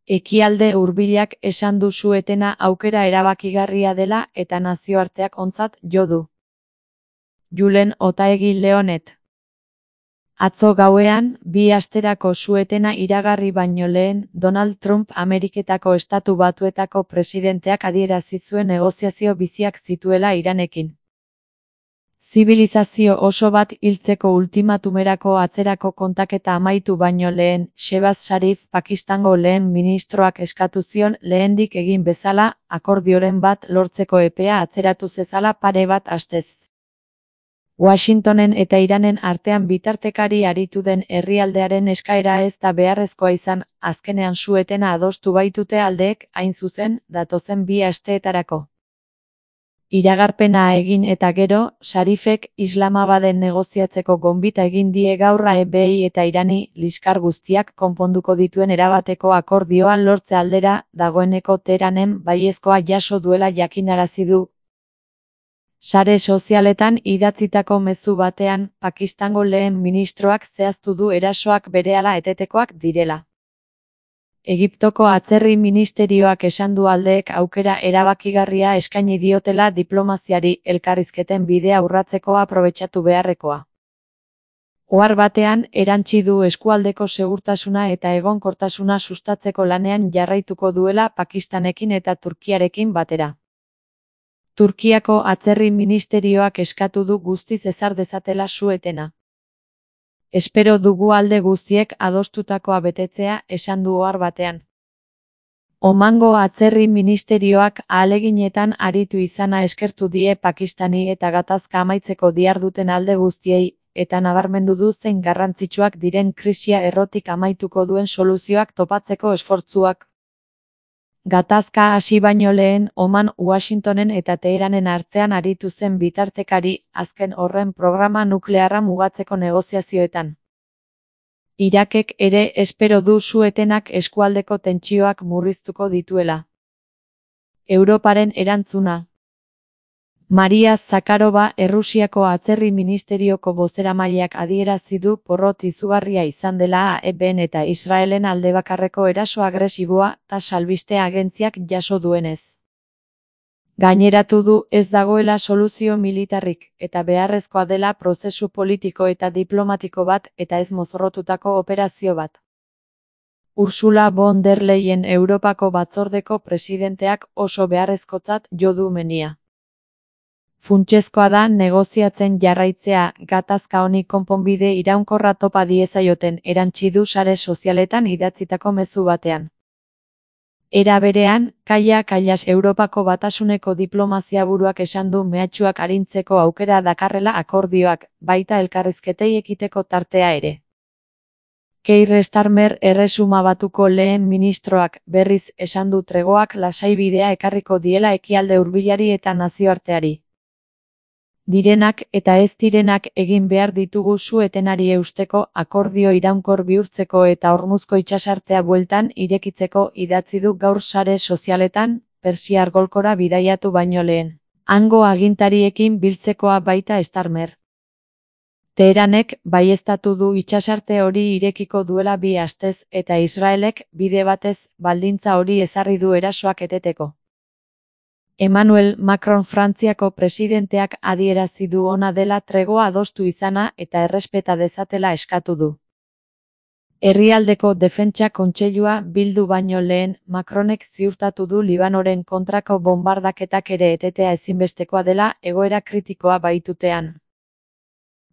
Ekialde Hurbilak esan du su-etena aukera erabakigarria dela eta nazioarteak ontzat jo du. Julen Otaegi Leonet. Atzo gauean, 2 asterako su-etena iragarri baino lehen, Donald Trump Ameriketako Estatu Batuetako presidenteak adierazi zuen negoziazio biziak zituela Iranekin. Zibilizazio oso bat hiltzeko ultimatumerako atzerako kontaketa amaitu baino lehen, Shehbaz Sharif Pakistango lehen ministroak eskatu zion lehendik egin bezala, akordioren bat lortzeko epea atzeratu zezala pare bat astez. Washingtonen eta Iranen artean bitartekari aritu den herrialdearen eskaera ez da beharrezkoa izan, azkenean su-etena adostu baitute aldeek, hain zuzen, datozen 2 asteetarako. Iragarpena egin eta gero, Sharifek Islamabaden negoziatzeko gonbita egin die gaur AEBi eta Irani, liskar guztiak konponduko dituen erabateko akordioa lortze aldera, dagoeneko Teheranen baiezkoa jaso duela jakinarazi du. Sare sozialetan idatzitako mezu batean, Pakistango lehen ministroak zehaztu du erasoak berehala etetekoak direla. Egiptoko atzerri ministerioak esan du aldeek aukera erabakigarria eskaini diotela diplomaziari elkarrizketen bidea urratzeko aprobetxatu beharrekoa. Ohar batean, erantsi du eskualdeko segurtasuna eta egonkortasuna sustatzeko lanean jarraituko duela Pakistanekin eta Turkiarekin batera. Turkiako atzerri ministerioak eskatu du guztiz ezar dezatela su-etena. Espero dugu alde guztiek adostutakoa betetzea, esan du ohar batean. Omango atzerri ministerioak ahaleginetan aritu izana eskertu die Pakistani eta gatazka amaitzeko diharduten alde guztiei, eta nabarmendu du zein garrantzitsuak diren krisia errotik amaituko duen soluzioak topatzeko esfortzuak. Gatazka hasi baino lehen, Oman Washingtonen eta Teheranen artean aritu zen bitartekari, azken horren programa nuklearra mugatzeko negoziazioetan. Irakek ere espero du su-etenak eskualdeko tentsioak murriztuko dituela. Europaren erantzuna. Maria Zakharova Errusiako atzerri ministerioko bozeramaileak adierazi du porrot izugarria izan dela AEBn eta Israelen aldebakarreko eraso agresiboa ta salbiste agentziak jaso duenez. Gaineratu du ez dagoela soluzio militarrik eta beharrezkoa dela prozesu politiko eta diplomatiko bat eta ez mozorrotutako operazio bat. Ursula von der Leyen Europako batzordeko presidenteak oso beharrezkotzat jo du menia. Funtsezkoa da negoziatzen jarraitzea, gatazka honi konponbide iraunkorra topa diezaioten, erantsi du sare sozialetan idatzitako mezu batean. Era berean, Kaia Kallas Europako Batasuneko diplomazia buruak esan du mehatxuak arintzeko aukera dakarrela akordioak, baita elkarrizketei ekiteko tartea ere. Keir Starmer Erresuma Batuko lehen ministroak, berriz, esan du tregoak lasai bidea ekarriko diela ekialde hurbilari eta nazioarteari. Direnak eta ez direnak egin behar ditugu su-etenari eusteko, akordio iraunkor bihurtzeko eta Hormuzko itsasartea bueltan irekitzeko idatzi du gaur sare sozialetan, Persiar golkora bidaiatu baino lehen. Hango agintariekin biltzekoa baita Starmer. Teheranek baieztatu du itsasarte hori irekiko duela 2 astez eta Israelek, bide batez, baldintza hori ezarri du erasoak eteteko. Emmanuel Macron Frantziako presidenteak adierazi du ona dela tregoa adostu izana eta errespeta dezatela eskatu du. Herrialdeko Defentsa Kontseilua bildu baino lehen, Macronek ziurtatu du Libanoren kontrako bonbardaketak ere etetea ezinbestekoa dela egoera kritikoa baitutean.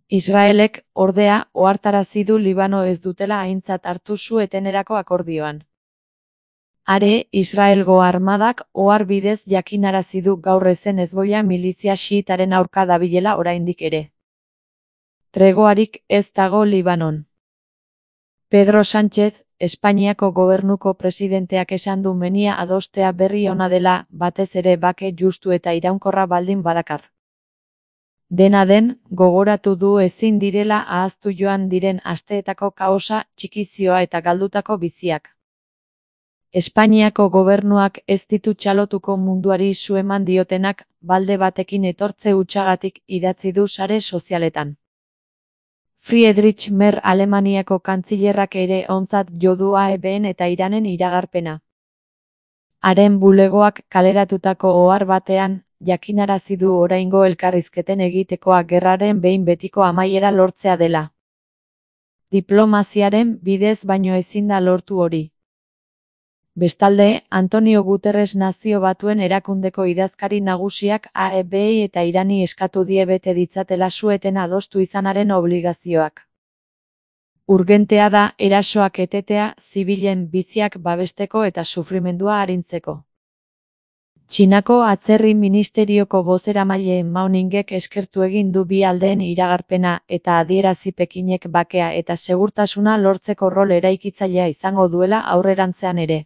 Israelek, ordea, ohartarazi du Libano ez dutela aintzat hartu su-etenerako akordioan. Are, Israelgo armadak ohar bidez jakinarazi du gaur ezen Hezbollah milizia xiitaren aurka dabilela oraindik ere. Tregoarik ez dago Libanon. Pedro Sánchez, Espainiako gobernuko presidenteak esan du menia adostea berri ona dela, batez ere bake justu eta iraunkorra baldin badakar. Dena den, gogoratu du ezin direla ahaztu joan diren asteetako kaosa, txikizioa eta galdutako biziak. Espainiako gobernuak ez ditu txalotuko munduari su eman diotenak, balde batekin etortze hutsagatik idatzi du sare sozialetan. Friedrich Merz Alemaniako kantzilerrak ere ontzat jo du AEBn eta Iranen iragarpena. Haren bulegoak kaleratutako ohar batean, jakinarazi du oraingo elkarrizketen egitekoa gerraren behin betiko amaiera lortzea dela. Diplomaziaren bidez baino ezin da lortu hori. Bestalde, Antonio Guterres Nazio Batuen Erakundeko idazkari nagusiak AEBi eta Irani eskatu die bete ditzatela su-eten adostu izanaren obligazioak. Urgentea da erasoak etetea zibilen biziak babesteko eta sufrimendua arintzeko. Txinako atzerri ministerioko bozeramaile Mao Ningek eskertu egin du bi aldeen iragarpena eta adierazi Pekinek bakea eta segurtasuna lortzeko rol eraikitzailea izango duela aurrerantzean ere.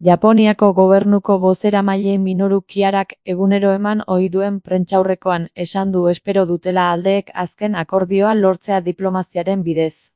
Japoniako gobernuko bozeramaile Minoru Kiarak egunero eman ohi duen prentsaurrekoan esan du espero dutela aldeek azken akordioa lortzea diplomaziaren bidez.